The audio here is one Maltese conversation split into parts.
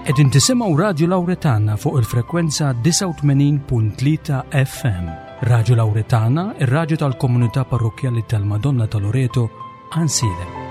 Qegħdin tisimgħu Radju Lawretana fuq il-frekwenza 89.3 FM. Radju Lawretana, ir-radju tal-komunità parrokkjali tal-Madonna ta' Loreto, Għansielem.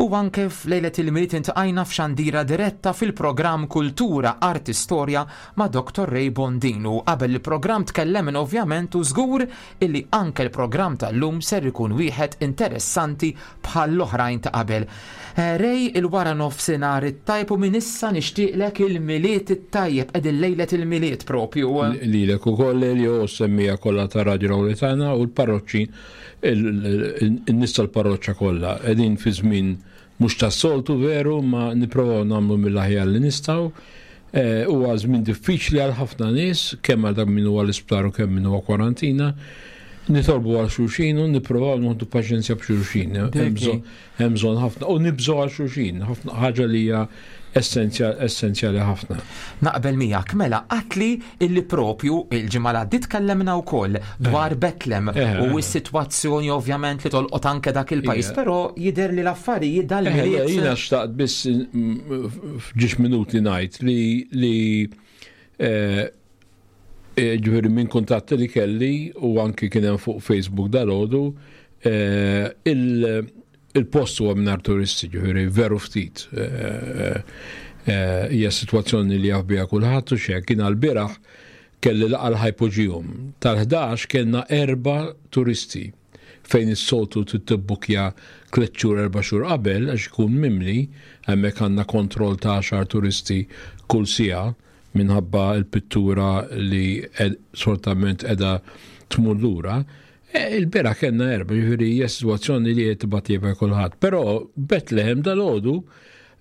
U anke f'lejlet il-Milied intqajna f'xandira diretta fil-programm Kultura, Arti, Storja ma' Dr. Ray Bondin u qabel il-programm tkellemna ovvjament u żgur illi anke l-programm tal-lum ser ikun wieħed interessanti bħall-oħrajn ta' qabel. Eh, Ray, il-wara nofsinhar it-tajb u minn issa nixtieqlek il-Milied it-tajjeb qegħdin lejlet il-Milied propju. Lilek ukoll Elio u s-semmija kollha ta' Radio Lauretana u l-parroċċi in-nies tal-parroċċa kollha. Qegħdin fi żmien mhux tas-soltu veru ma nipprovaw nagħmlu mill-aħjar li nistgħu. Eh, huwa żmien diffiċli għal ħafna nies, kemm għal dak min huwa l-isptar u kemm min huwa kwarantina. Nitolbu għal xulxin u nipprovaw nieħdu paċenzja b'xulxin. Hemm bżonn ħafna u nibżgħu għal xulxin, ħafna ħaġa li hija essenzjali ħafna. Naqbel miegħek mela qatli illi propju il-ġimgħa l għaddiet tkellemna wkoll dwar eh. Betlem eh, u eh. s-sitwazzjoni ovvjament li tolqot anke dak il-pajjiż, però jidher li l-affarijiet dal-milied. Jiena xtaqt biss f'ġiex minuti ngħid li li ġifieri minn kuntatti li kelli u anki kien hemm fuq Facebook dal-għodu il-post huwa mingħajr turisti, ġifieri veru ftit. Eh, eh, hija sitwazzjoni li jaf biha kulħadd u xejn kien għall-bieraħ kelli laqgħa l-ħajpoġijum. Tal-11 kellna erba' turisti fejn is-soltu tibbukkja tliet xhur erba' xhur qabel għax ikun mimli, hemmhekk għandna kontroll ta' għaxar turisti kull siegħa minħabba l-pittura li soltament qiegħda tmur lura. E, Il-bera kellna erba, ġifieri hija sitwazzjoni li qed tibgħat kulħadd. Però Bethlehem dal-għodu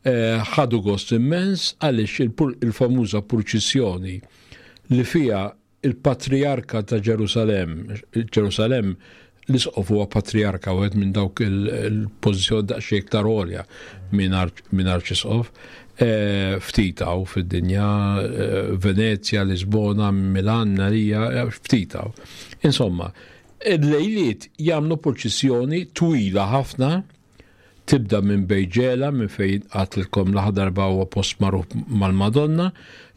eh, ħadu gost immens għaliex il-famuża purċissjoni li fiha il-Patrijarka ta' Ġerusalemm, Ġerusalemm l-isqof huwa patrijarka wieħed minn dawk il-pożizzjoni daqsxejn iktar għolja minn arċisqof. Eh, ftit hawn fid-dinja, eh, Venezja, Lisbona, Milan, Narija, eh, ftit hawn. Insomma, il-lejliet jagħmlu purċissjoni twila ħafna tibda minn Bejġela minn fejn għatlilkom l darba huwa post magħruf mal-Madonna,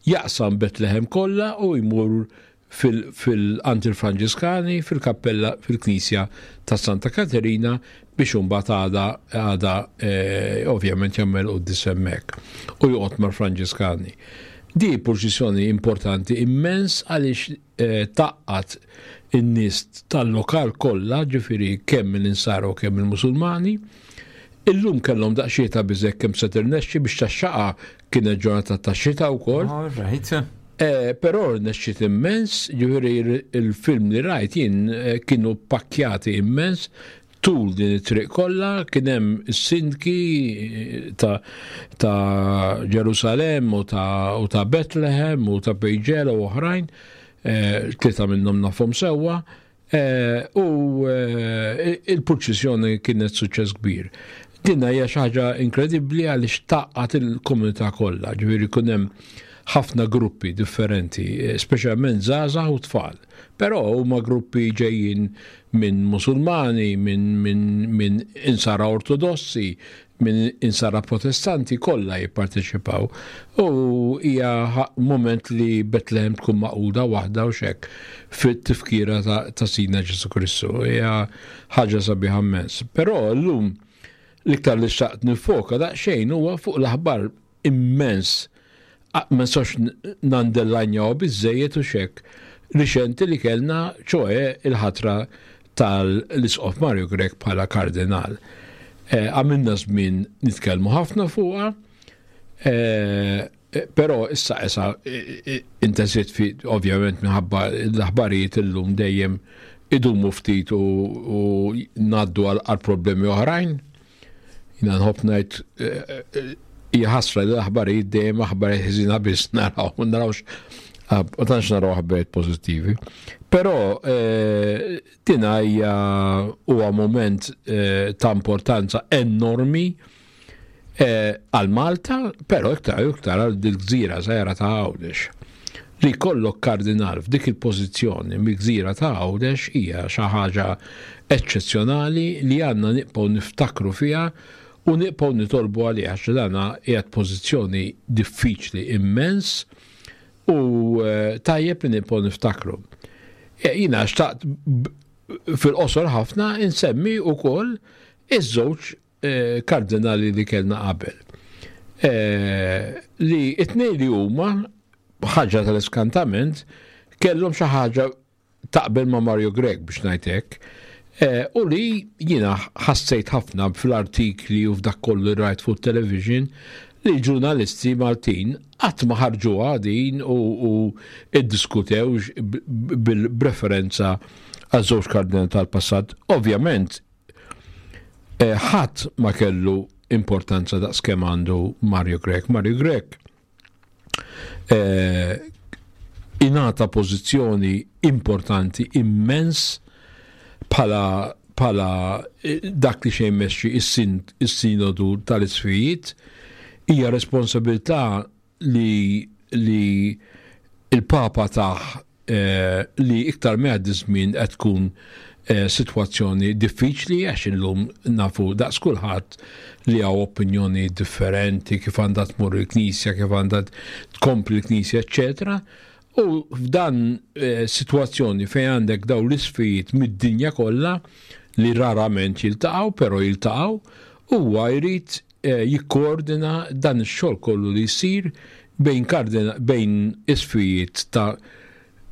jaqsam Betlehem kollha u jmur fil-għand il-Franġiskani fil-kappella fil-knisja ta' Santa Katerina biex imbagħad għada għada eh, ovvjament jagħmel quddies hemmhekk u joqgħod mal-Franġiskani. Di purċissjoni importanti immens għaliex eh, taqqat in-nies tal-lokal kollha, ġifieri kemm l-insara u kemm il-Musulmani. Illum kellhom daqsxejn ta' biżek kemm se tirnexxi biex tax-xaqa kienet ġurnata ta' xita wkoll. All right. Eh, però rnexxiet immens, ġifieri il-film li rajt jien eh, kienu pakkjati immens tul din it-triq kollha kien hemm is-sindki eh, ta', ta Ġerusalemm u ta', u ta' Bethlehem u ta' Bejġela u oħrajn, eh, tlieta minnhom nafhom sewwa, Eh, u eh, il-purċissjoni kienet suċċess kbir. Dinna hija xi ħaġa inkredibbli għaliex taqqat il-komunità kollha, ġifieri jkun hemm ħafna gruppi differenti, eh, speċjalment żgħażagħ u tfal. Però huma gruppi ġejjin minn Musulmani, minn min, min insara ortodossi, minn insara protestanti kollha jipparteċipaw u hija mument li Betlehem tkun maquda waħda u xek fit-tifkira ta' Sidna Ġesu Kristu. Hija ħaġa sabiħa immens. Però llum l-iktar li xtaqt nifoka daqsxejn huwa fuq l-aħbar immens ma nistax nandellanjaw biżejjed u xek riċenti li kellna ċoe il-ħatra tal-Isqof Mario Grech bħala kardinal. Eh, għamilna żmien nitkellmu ħafna fuqha, eh, però issa issa intensiet fi ovvjament minħabba l-aħbarijiet illum dejjem idumu ftit u ngħaddu għal problemi oħrajn. Jina nħobb ngħid eh, hija ħasra li l-aħbarijiet dejjem aħbarijiet ħżina biss naraw, ma narawx ma tantx naraw aħbarijiet pożittivi. Però eh, dina hija huwa moment eh, ta' importanza enormi għal Malta, però iktar u iktar għal dil-gżira żgħira ta' Għawdex. Li jkollok kardinal f'dik il-pożizzjoni mill-gżira ta' Għawdex hija xi ħaġa eċċezzjonali li għandna nibqgħu niftakru fiha u nibqgħu nitolbu għaliha għax dana qiegħed pożizzjoni diffiċli immens u eh, tajjeb li nibqgħu niftakru. E, jiena xtaqt fil-qosor ħafna insemmi wkoll iż-żewġ eh, kardinali li kellna qabel. Eh, li it-tnejn li huma ħaġa tal-iskantament kellhom xi ħaġa taqbel ma' Mario Grech biex ngħid hekk. Eh, u li jiena ħassejt ħafna fl-artikli u f'dak kollu rajt fuq television li l-ġurnalisti Maltin qatt ma ħarġuha din u, u iddiskutew bil-preferenza għaż-żewġ kardinali tal-passat. Ovvjament, eh, ħadd ma kellu importanza daqs kemm għandu Mario Grech. Mario Grech eh, ingħata pożizzjoni importanti immens bħala bħala eh, dak li xejn mexxi is-sinodu tal-isfijiet hija responsabilità li li il-Papa taħ eh, li iktar ma jgħaddi żmien qed tkun eh, sitwazzjoni diffiċli għax illum nafu daqs kulħadd li hawn opinjoni differenti kif għandha tmur il-Knisja, kif għandha tkompli l-Knisja, eċċetera. U f'dan eh, sitwazzjoni fejn għandek daw l-isfijiet mid-dinja kollha li rarament jiltaqgħu, però jiltaqgħu, huwa jrid eh, jikkoordina dan ix-xogħol kollu li jsir bejn kardina bejn isfijiet ta'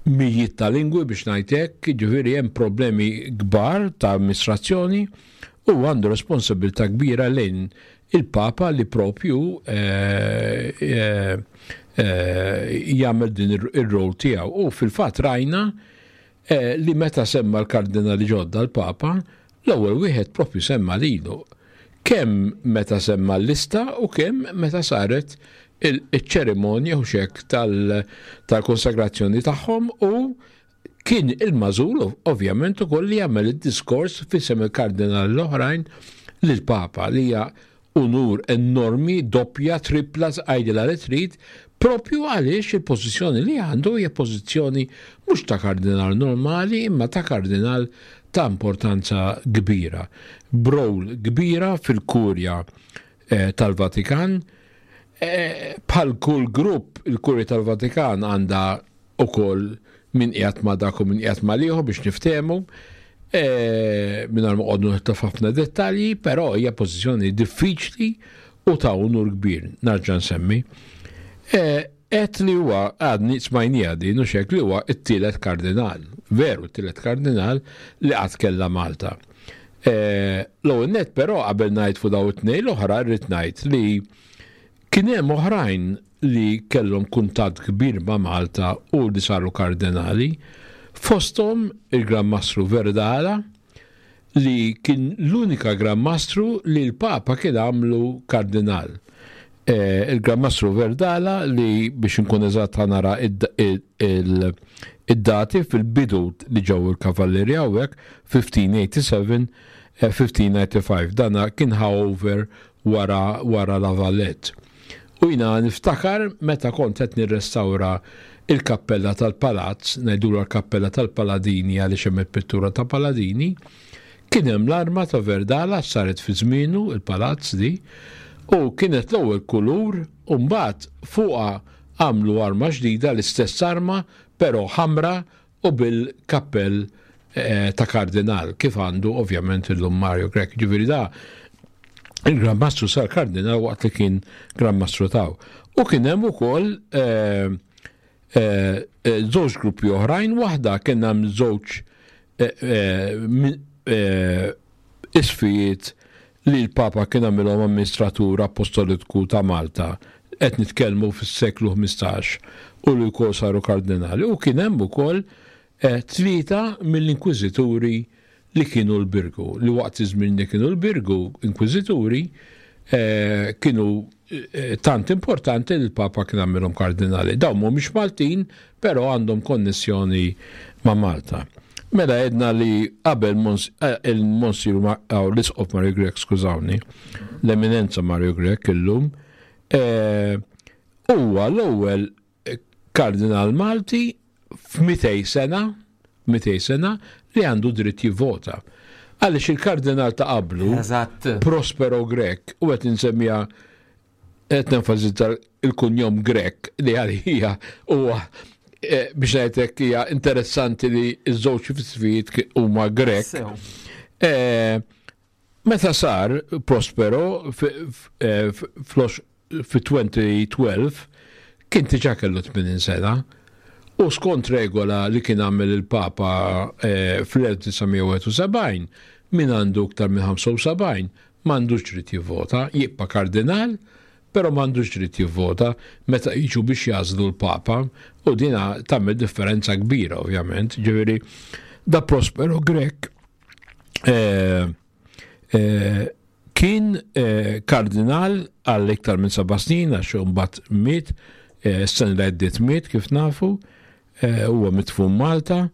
mijiet ta' lingwi biex ngħid hekk, jiġifieri hemm problemi kbar ta' amministrazzjoni u għandu responsabilità kbira lejn il-Papa li propju eh, eh, eh, jagħmel din ir-rol tiegħu. U fil-fatt rajna eh, li meta semma l-kardinali ġodda l-Papa, l-ewwel wieħed propju semma lilu. Kemm meta semma l-lista u kemm meta saret il-ċerimonja u xek tal-konsagrazzjoni tagħhom u kien il-mażul ovvjament ukoll li jagħmel id-diskors f'isem il-kardinali l-oħrajn lill-Papa li hija unur enormi, doppja, tripla, għajdilha li trid, propju għaliex il-pożizzjoni li għandu hija pożizzjoni mhux ta' kardinal normali imma ta' kardinal ta' importanza kbira. B'rol kbira fil-kurja eh, tal-Vatikan. Eh, bħal kull grupp, il-kurja tal-Vatikan għandha ukoll min qiegħed ma' dak u min qiegħed ma' l-ieħor biex niftehmu. E, mingħajr ma qogħdu nidħlu f'ħafna dettalji, però hija pożizzjoni diffiċli u ta' unur kbir, narġa' nsemmi. E, Għedt li huwa għadni smajnija din u xek li huwa t-tielet kardinal, veru t-tielet kardinal li qatt kellha Malta. E, l-ewwel net però qabel ngħid fuq daw it-tnejn l-oħra rrid ngħid li Kien hemm oħrajn li kellhom kuntatt kbir ma' Malta u li saru kardinali, fosthom il-Gran Mastru Verdala li kien l-unika Gran Mastru li l-Papa kien għamlu kardinal. Eh, Il-Gran Mastru Verdala li biex inkun eżatt nara id-dati fil-bidu li ġew il-Kavallieri hawnhekk 1587 1595 dana kien ħa over wara wara La Valette. U jiena niftakar meta kont qed nirrestawra il-kappella tal-palazz, ngħidulha l-kappella tal-Paladini għaliex hemm il-pittura ta' Paladini, Kien hemm l-arma ta' Verdala saret fi żmienu il-palazz di u kienet l-ewwel kulur u mbagħad fuqha għamlu arma ġdida l-istess arma però ħamra u bil-kappell eh, ta' kardinal kif għandu ovvjament illum Mario Grech. Ġifieri da il-Gran Mastru sar kardinal waqt li kien Gran Mastru taw. U kien hemm ukoll eh, eh, żewġ gruppi oħrajn, waħda kien hemm żewġ isfijiet li l-Papa kien għamilhom amministratur apostoliku ta' Malta, qed nitkellmu fis-seklu 15, u li wkoll saru kardinali, u kien hemm ukoll eh, tlieta mill-inkwiżituri li kienu l-Birgu, li waqt iż-żmien li kienu l-Birgu inkwiżituri eh, kienu eh, tant importanti li l-Papa kien għamilhom kardinali. Dawn mhumiex Maltin, però għandhom konnessjoni ma' Malta. Mela għedna li qabel eh, il-Monsir l-Isqof Mario Grech, skużawni, l-Eminenza Mario Grech illum, eh, huwa l-ewwel kardinal Malti f'200 sena, 200 sena li għandu dritt jivvota. Għaliex il-kardinal ta' qablu, Prospero Grech, u qed insemmija qed nenfasizza il-kunjom Grech li għalija huwa eh, biex ngħidlek hija interessanti li ż-żewġ fisfijiet huma Grech. Eh, meta sar Prospero eh, fi 2012 kien diġà kellu 80 sena u skont regola li kien għamel il-Papa fl-1971 min għandu iktar minn 75 m'għandux dritt jivvota, jibqa' kardinal, però m'għandux dritt jivvota meta jiġu biex jagħżlu l-Papa u dina tagħmel differenza kbira ovvjament. Ġifieri da Prospero Grech eh, eh, kien eh, kardinal għal iktar minn seba' snin għax imbagħad miet, eh, s-sena li għaddiet miet kif nafu, eh, huwa mitfun Malta.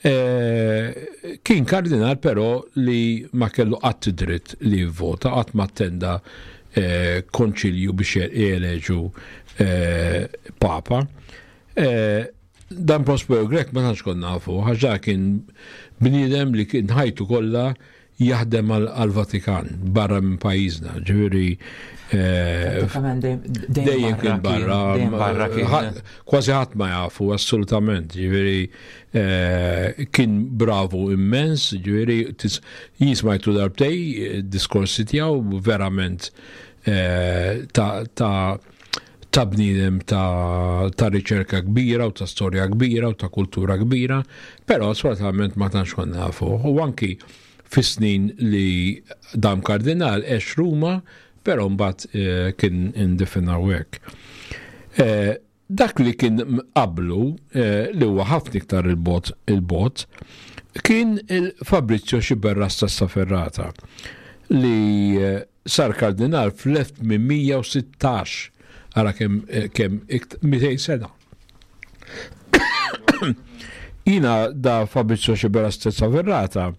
Eh, kien kardinal però li ma kellu qatt dritt li jivvota, qatt ma attenda eh, konċilju biex jeleġu eh, papa. Dan Prospero Grek ma tantx konna nafu, ħaġa kien bniedem li kien ħajtu kollha jaħdem għall-Vatikan barra minn pajjiżna, ġifieri eh, dejjem kien barra, kważi ħadd ma jafu assolutament, ġifieri eh, kien bravu immens, ġifieri jismajtu darbtej eh, diskorsi tiegħu verament ta' ta' bniedem ta', ta riċerka kbira u ta' storja kbira u ta' kultura kbira, però sfortunatament ma tantx konna nafu. U anki fis-snin li dam kardinal għex Ruma, però mbagħad eh, kien indifen hawnhekk. Eh, dak li kien qablu eh, li huwa ħafna iktar il-bot il-bot kien il-Fabrizio Xiberras Ferrata li Sar kardinal fl-1816, ara kemm eh, kemm 200 sena. Jina da Fabrizio Xibera Stezza Verrata,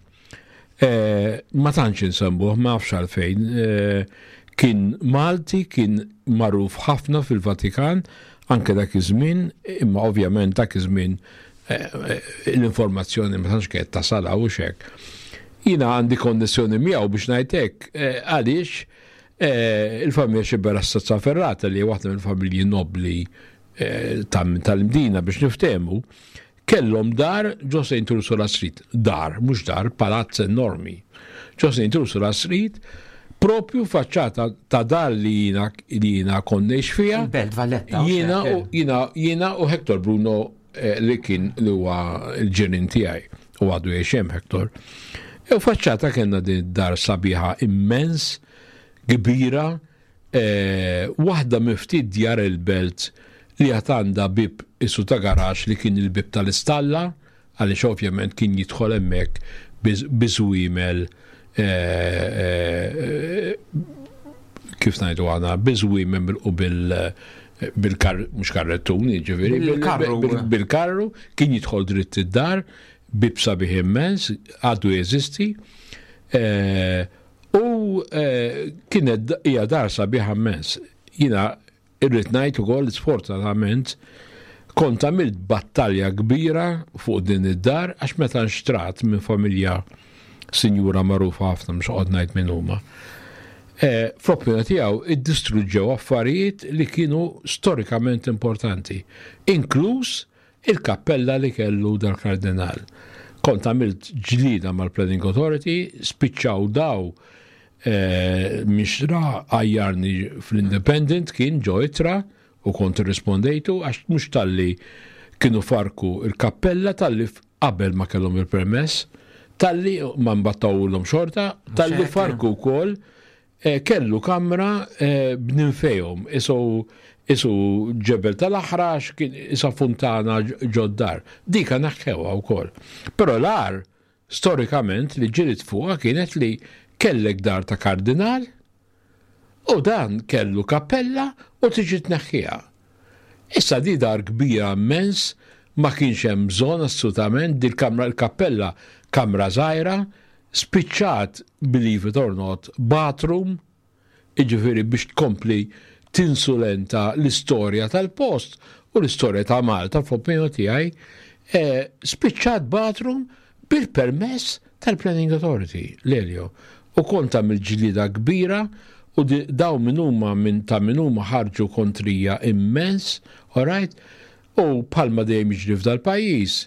eh, ma tantx insembuh, ma nafx għalfejn, eh, kien Malti, kien magħruf ħafna fil-Vatikan, anke dak iż-żmien, imma ovvjament dak iż-żmien l-informazzjoni ma tantx kienet tasal u xek. Jina għandi konnessjoni miegħu biex ngħidlek eh, għaliex eh, il-familja Xibera Stazza Ferrata li waħda mill-familji nobli eh, tal-Mdina biex niftehmu, kellhom dar ġo St. Ursula Street. Dar, mhux dar, palazz enormi. Ġo St. Ursula Street, propju faċċata ta' dar li jina li jina konnex fija. Belt Valletta. Jina u jina jina u Hector Bruno eh, li kien li huwa l-ġirien tiegħi u għadu jgħix hemm Hector. E u faċċata kellna din dar sabiħa immens, kbira, eh, waħda miftit djar il-belt li għad għandha bib isu ta' garax li kien il-bib tal-istalla, għaliex ovvjament kien jidħol hemmhekk biżwiemel eh, eh, kif ngħidu għana, biżwiemel u bil bil-kar, mux karrettun, ġifiri, bil-karru, kien jidħol dritt id-dar, bib sabiħ immens, għadu jeżisti, eh, u kienet hija dar sabiħ immens. Jina Irrid ngħid ukoll li sfortunatament kont għamilt battalja kbira fuq din id-dar għax meta nxtrat minn familja sinjura magħrufa ħafna mhux qod ngħid min huma. Eh, fl-opinjoni tiegħu iddistruġġew affarijiet li kienu storikament importanti, inkluż il-kappella li kellu dal-kardinal. Kont għamilt ġlida mal-Planning Authority, spiċċaw daw eh, mixra għajjarni fl-Independent kien ġo itra u kont irrispondejtu għax mhux talli kienu farku il-kappella talli qabel ma kellhom il-permess, talli ma mbattawulhom xorta, talli farku wkoll eh, kellu kamra eh, b'ninfejhom isu isu ġebel tal-aħrax kien isa funtana ġoddar. Dika naħħewha wkoll. Però l-ar storikament li ġilit fuqha kienet li kellek dar ta' kardinal U dan kellu kappella u tiġi tneħħiha. Issa di dar kbira immens, ma kienx hemm bżonn assolutament, dil-kamra il-kappella kamra żgħira, spiċċat believe it or not bathroom, jiġifieri biex tkompli tinsulenta l-istorja tal-post u l-istorja ta' Malta fl-opinjoni tiegħi, eh, spiċċat bathroom bil-permess tal-Planning Authority, l-Elio. U kont għamilt ġlieda kbira u daw min huma minn ta' min huma ħarġu kontrija immens, alright? U bħalma dejjem jiġri f'dal-pajjiż,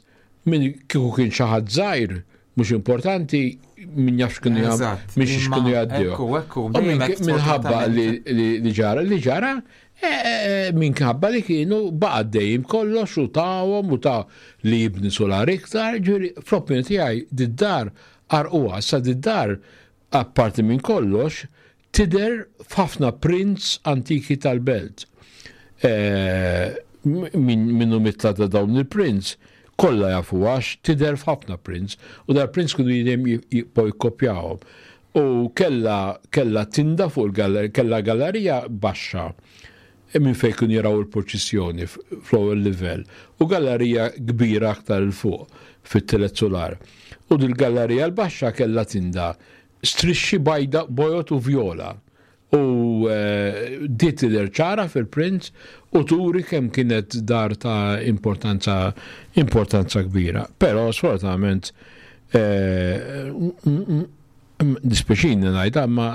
min kieku kien xi ħadd żgħir, mhux importanti, min jaf x'kienu jagħmlu, minn x'kienu jgħaddew. Minħabba li ġara, li ġara, E, e, e, minħabba li kienu baqa' dejjem kollox u tawhom u ta' li jibni solar iktar, ġifieri fl-opinjoni tiegħi did-dar għarquha, sa did-dar apparti minn kollox tidher f'ħafna prints antiki tal-belt. Minnu mitla ta' dawn il-prints kollha jafu għax tidher f'ħafna prints u dal-prints kienu dejjem jibqgħu jikkopjawhom. U kellha kellha tinda fuq il-gallerija, kellha gallerija baxxa minn fejn kienu jaraw il-purċissjoni fl-ewwel livell u gallerija kbira aktar 'il fuq fit-tielet sular. U dil-gallerija l-baxxa kellha tinda strixxi bajda bojod u vjola U di tidher ċara fil-print u turi kemm kienet dar ta' importanza importanza kbira. Però sfortunatament dispjaċini ngħidha ma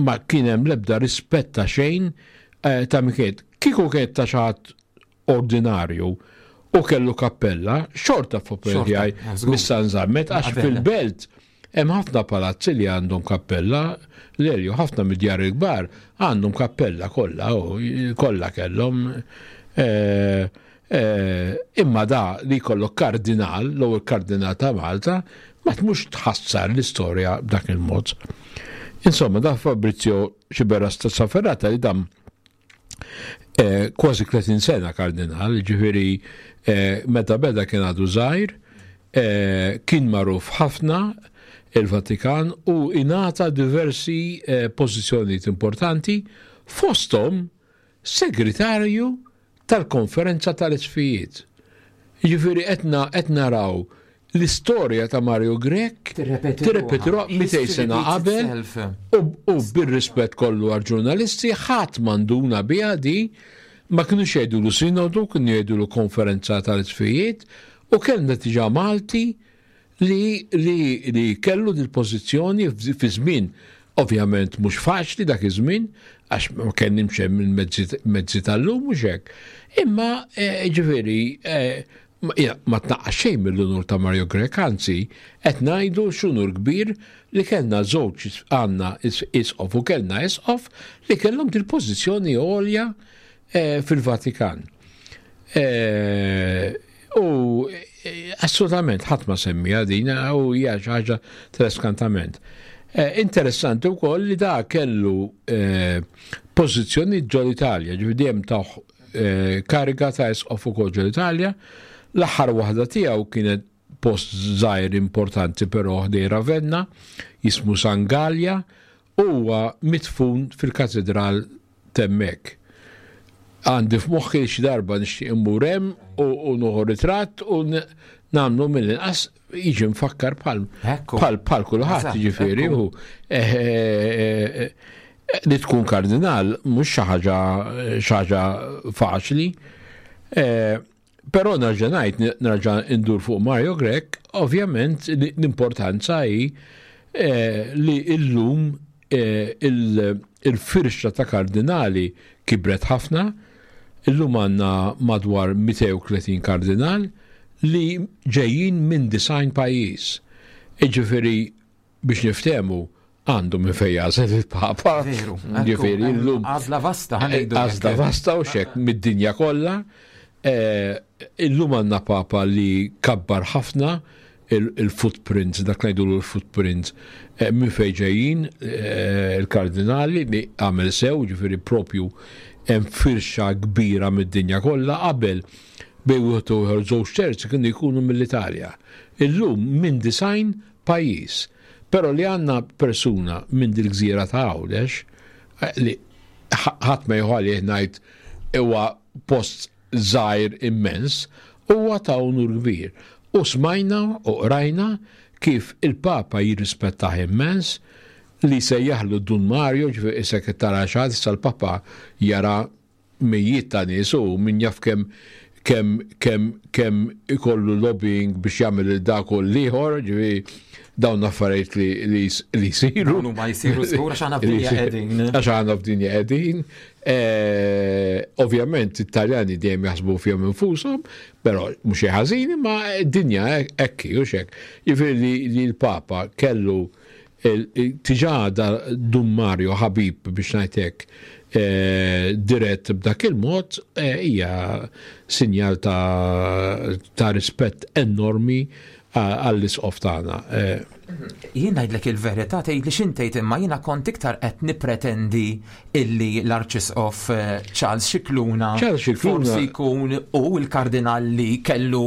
ma kien hemm l-ebda rispett ta' xejn ta' min kienet. Kieku kienet ta' xi ħadd ordinarju u kellu kappella, xorta f'opinjoni tiegħi missa nżammet għax fil-belt hemm ħafna palazzi li għandhom kappella, l-Elju ħafna mid-djar il-kbar għandhom kappella kollha, kollha kellhom. Eh, eh, imma da li jkollok kardinal, l-ewwel kardinal ta' Malta, ma tmux tħassar l-istorja b'dak il-mod. Insomma, da Fabrizio Xiberras ta' Saferrata li dam Eh, kważi 30 sena kardinal, ġifiri eh, meta beda kien għadu żgħir, eh, kien magħruf ħafna il-Vatikan u ingħata diversi pożizzjonijiet importanti fosthom segretarju tal-Konferenza tal-Isqfijiet. Jiġifieri qed naraw l-istorja ta' Mario Grech tirrepeti ruħha 200 sena qabel u bir-rispett kollu għall-ġurnalisti ħadd ma nduna biha di ma kinux jgħidulu sinodu, kienu jgħidulu konferenza tal-isqfijiet u kellna diġà Malti li li li kellu dil-pożizzjoni fi żmien ovvjament mhux faċli dak iż-żmien għax ma kenniex hemm il-mezzi tal-lum mhux hekk. Imma eh, ġifieri eh, ma tnaqqas xejn mill-unur ta' Mario Grech, anzi qed ngħidu x'unur kbir li kellna żewġ għandna isqof u kellna isqof li kellhom dil-pożizzjoni għolja eh, fil-Vatikan. U assolutament ħadd ma semmiha din u hija xi ħaġa tal-eskantament. Eh, interessanti wkoll li da kellu eh, pożizzjoni ġol-Italja, ġifieri dejjem ta' eh, kariga ta' isqof ukoll ġol-Italja. L-aħħar waħda tiegħu kienet post żgħir importanti però ħdej Ravenna, jismu San Gallia, u huwa midfun fil-katedral t'hemmhekk. Għandi f'moħħi li xi darba nixtieq immur hemm u nieħu ritratt u nagħmlu mill-inqas jiġi mfakkar bħal bħal bħal kulħadd jiġifieri u eh, eh, eh, li tkun kardinal mhux xi ħaġa xi ħaġa faċli. Però nerġa' ngħid, nerġa' ndur fuq Mario Grech, ovvjament l-importanza hi eh, li illum eh, il-firxa ta' kardinali kibret ħafna, illum għandna madwar 230 kardinal li ġejjin minn design pajjiż. Iġifieri biex niftehmu għandu minn fejn jagħżel il-Papa. Veru. Ġifieri llum. Għażla vasta ħanejdu. Għażla vasta u xek mid-dinja kollha. Eh, illum għandna Papa li kabbar ħafna il-footprint, dak ngħidu l-footprint eh, minn fejn ġejjin eh, il-kardinali li għamel sew, ġifieri propju hemm firxa kbira mid-dinja kollha qabel bejn wieħed u ieħor żewġ terzi kienu jkunu mill-Italja. Illum minn design pajjiż. Però li għandna persuna minn dil-gżira ta' Għawdex eh, li ħadd ma jieħu għalih ngħid huwa post żgħir immens, huwa ta' unur kbir. U smajna u qrajna kif il-Papa jirrispettah immens li sejjaħlu Dun Mario, ġifieri isek tara xi ħadd issa l-Papa jara mijiet ta' nies u min jaf kemm kemm kemm kemm ikollu lobbying biex jagħmel lil dak u l-ieħor, ġifieri dawn affarijiet li li li jsiru. Dawn huma jsiru żgur għax aħna f'dinja qegħdin. Għax aħna f'dinja qegħdin. Eh, ovvjament it-Taljani dejjem jaħsbu fihom infushom, però mhux xi ħażin, imma d-dinja hekk hi u x'hekk. Jiġifieri li l-Papa kellu Diġà da Dun Mario ħabib biex ngħid hekk dirett b'dak il-mod hija sinjal ta' rispett enormi għall-Isqof tagħna. Jien ngħidlek il-verità tgħidli x'int tgħid imma jiena kont iktar qed nippretendi illi l-Arċisqof Charles Scicluna Charles Scicluna forsi jkun hu l-kardinal li kellu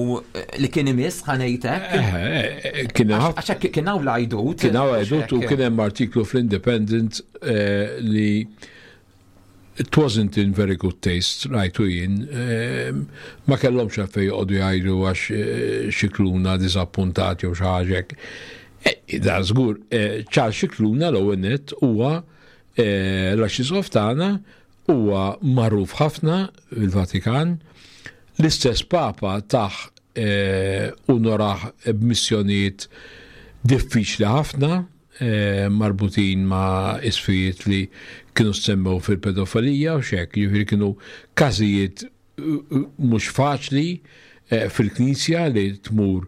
li kien imiss ħa ngħid hekk. Eh, kien hemm Għax hekk kien hawn l-għajdut. Kien hawn għajdut u kien hemm artiklu fl-Independent eh, li it wasn't in very good taste, rajtu jien, eh, ma kellhomx għalfejn joqogħdu jgħidu għax Scicluna diżappuntat jew xi ħaġa hekk. Da żgur, Charles Scicluna l-ewwel nett huwa L-Arċisqof tagħna huwa magħruf ħafna fil-Vatikan. L-istess Papa tah unorah b'missjonijiet diffiċli ħafna marbutin ma' isfijiet li kienu ssemmew fil-pedofilija u x'hekk, jiġifieri kienu każijiet mhux faċli eh, fil-Knisja li tmur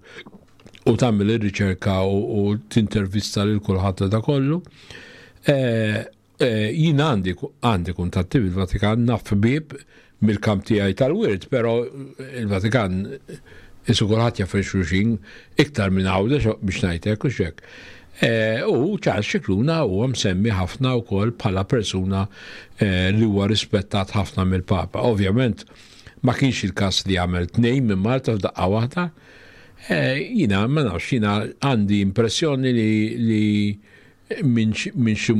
u tagħmel ir-riċerka u tintervista lil kulħadd da kollu. Eh, eh, jien għandi għandi kuntatti bil-Vatikan naf bib mill-kamp tiegħi tal-wirt, però il-Vatikan isu kulħadd jaf xulxin iktar minn Għawdex biex ngħidlek u xek. Eh, u Charles Scicluna huwa msemmi ħafna wkoll bħala persuna eh, li huwa rispettat ħafna mill-Papa. Ovvjament ma kienx il-każ li għamel tnejn minn Malta f'daqqa waħda. Eh, jina ma nafx, jina għandi impressjoni li, li minn xi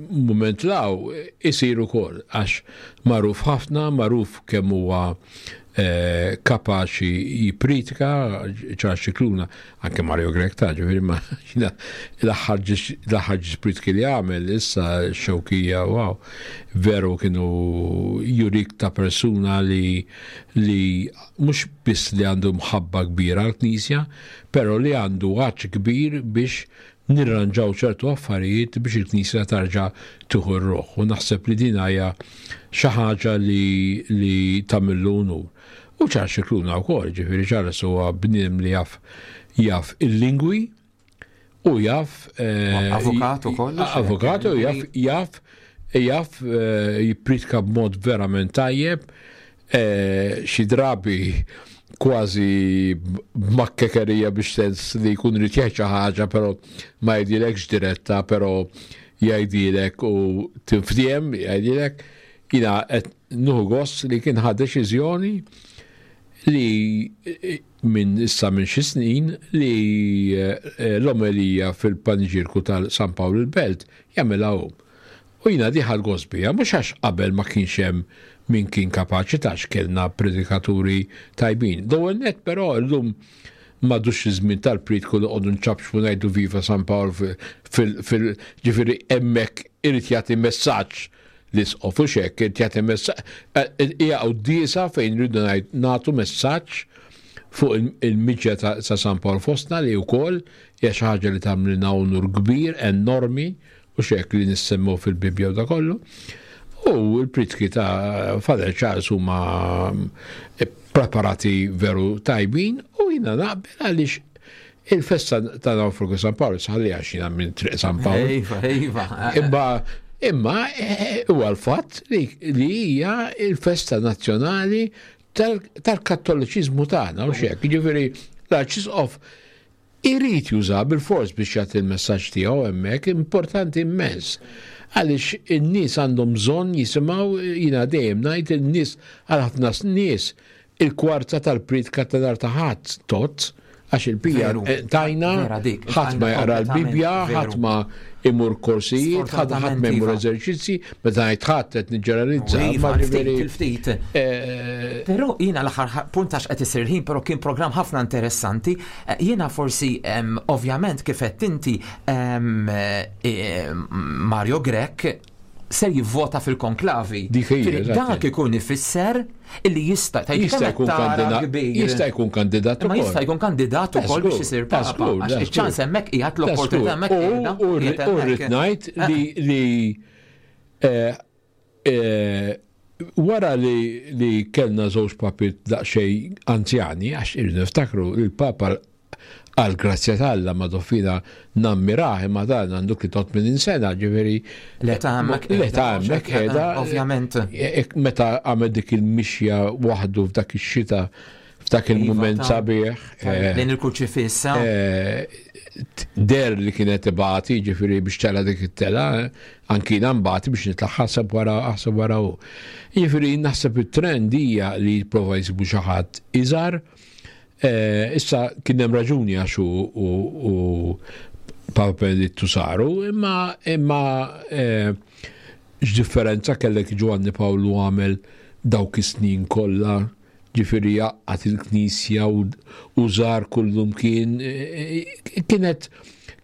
mument law isir ukoll għax magħruf ħafna, magħruf kemm huwa eh, kapaċi jipritika Charles Scicluna, anke Mario Grech ta' ġifieri ma l-aħħar ġis pritki li għamel issa xewkija wow, veru kienu jurik ta' persuna li li mhux biss li għandu mħabba kbira għall-Knisja, però li għandu għatx kbir biex nirranġaw ċertu affarijiet biex il-Knisja tarġa' tieħu r-ruħ. U naħseb li din hija xi ħaġa li, li tagħmillu unur. U Charles Scicluna wkoll, ġifieri Charles huwa bniedem li jaf jaf il-lingwi u jaf eh, avukat ukoll. Avukat u jaf jaf jaf eh, jippritka b'mod verament tajjeb Xi drabi kważi b'makkekerija biex sens li jkun irid jgħid xi ħaġa però ma jgħidilekx diretta però jgħidilek u tinftiehem jgħidilek jiena qed nieħu gost li kien ħa deċiżjoni li minn issa minn xi snin li eh, l-omelija fil-paniġirku tal-San Pawl il-Belt jagħmilha hu. U jiena di ħadt gost biha, mhux għax qabel ma kienx hemm min kien kapaċi ta' għax kellna predikaturi tajbin. L-ewwel nett però llum m'għadux iż-żmien tal-prietku li noqogħdu nċapċpu ngħidu viva San Pawl fil ġifieri hemmhekk irid jagħti messaġġ. l-isqof u xek, jagħti hija quddiesa fejn rridu nagħtu messaġġ fuq il-miġja ta' San Pawl fostna li wkoll hija xi ħaġa li tagħmlilna unur kbir, enormi, u xek li nissemmew fil-Bibbja u da kollu. U l-pritki ta' Father Charles huma preparati veru tajbin u jina naqbel għaliex il-festa ta' Naufragu San Pawl sħalli għax jina minn Triq San Pawl. Iva, iva. Imma imma eh, huwa l-fatt li hija il-festa nazzjonali tal-kattoliċiżmu tagħna u xek. Jiġifieri l-Arċisqof irid juża bil-fors biex jagħti l-messaġġ tiegħu hemmhekk, importanti immens. Għaliex in-nies għandhom bżonn jisimgħu jiena dejjem ngħid in-nies għal ħafna nies il-kwarta tal-priedka ta' nhar ta' Ħadd tgħodd għax il-bija eh, tajna ħadd ma jaqra l-Bibbja, ħadd ma imur korsijiet, ħadd ħadd ma jmur iva. eżerċizzi, meta ngħid ħadd qed niġġeneralizza. Iva, ftit. Eh, però jiena l-aħħar punt għax qed isir ħin, però kien programm ħafna interessanti. Eh, jiena forsi ovvjament kif qed inti Mario Grech ser jivvota fil-konklavi. Dik hija. Dak ikun ifisser illi jista' jista' jkun kandidat. Jista' jkun kandidat ukoll. Ma jista' jkun kandidat ukoll biex isir papa. Iċ-ċans hemmhekk qiegħed l-opportunità hemmhekk. U rrid ngħid li eh, eh, wara li kellna żewġ papi daqsxejn anzjani, għax irridu niftakru il-papa Għal grazzja ta' Alla Madoffina nammirah imma dan għandu 83 sena, ġifieri. L-età hemmhekk. L-età hemmhekk qiegħda. Ovvjament. E, e, meta għamel dik il-mixja waħdu f'dak ix-xita f'dak iva, il-mument sabiħ. E, Lejn il-kurċifissa. Der li kienet ibati, ġifieri biex tela dik it-tela, anki nambati biex nitla' ħaseb wara ħaseb wara hu. Ġifieri naħseb it-trend hija li jipprova jsibu xi ħadd iżgħar Eh, issa kien hemm raġuni għax u Papa Benedittu saru, imma imma eh, x'differenza kellek Giovanni Pawlu għamel dawk is-snin kollha ġifieri jaqgħad il-knisja u żar kullum kien eh, kienet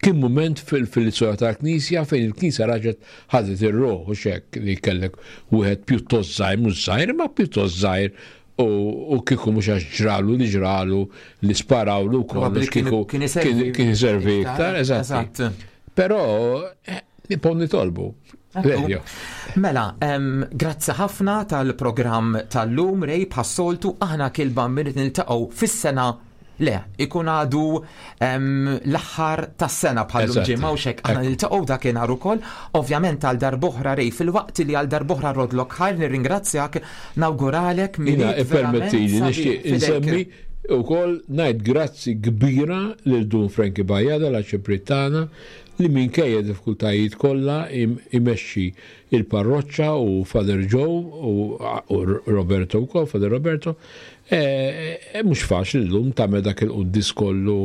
kien mument fil-istorja tal-Knisja fejn il-Knisja raġet ħadet ir-ruħ u xek li kellek wieħed pjuttost żgħir, mhux żgħir, imma pjuttost żgħir U kieku mhux għax ġralu li ġralu li sparawlu kollox kieku kien iservi iktar, eżatt. Però eh, nibqgħu nitolbu. Mela, grazzi ħafna tal-programm tal-lum, Rej, bħas-soltu, aħna kilba minn niltaqgħu fis-sena Le, ikun għadu l-aħħar tas-sena bħal ġimgħa u xek aħna niltaqgħu dakinhar ukoll. Ovvjament għal darb'oħra Rej, filwaqt li għal darb'oħra rodlok ħajr nirringrazzjak, nawguralek minn Ippermettili nixtieq insemmi wkoll ngħid grazzi kbira lil Dun Frankie Bajada l-Arċipriet tagħna li minkejja diffikultajiet kollha imexxi il-parroċċa u Father Joe u Roberto wkoll, Father Roberto, Mhux faċli llum tagħmel dak il-quddies kollu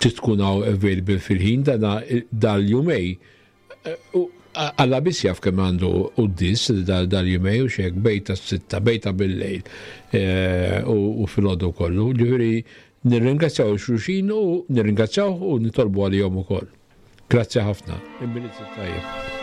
trid tkun hawn available fil-ħin dana dal-jumej. Alla biss jaf kemm għandu quddies dal-jumej u xek bejta s-sitta, bejta bil-lejl u filgħodu kollu. Ġifieri nirringrazzjaw xulxin u nirringrazzjaw u nitolbu għalihom ukoll. Grazzi ħafna. Il-Milied it-tajjeb.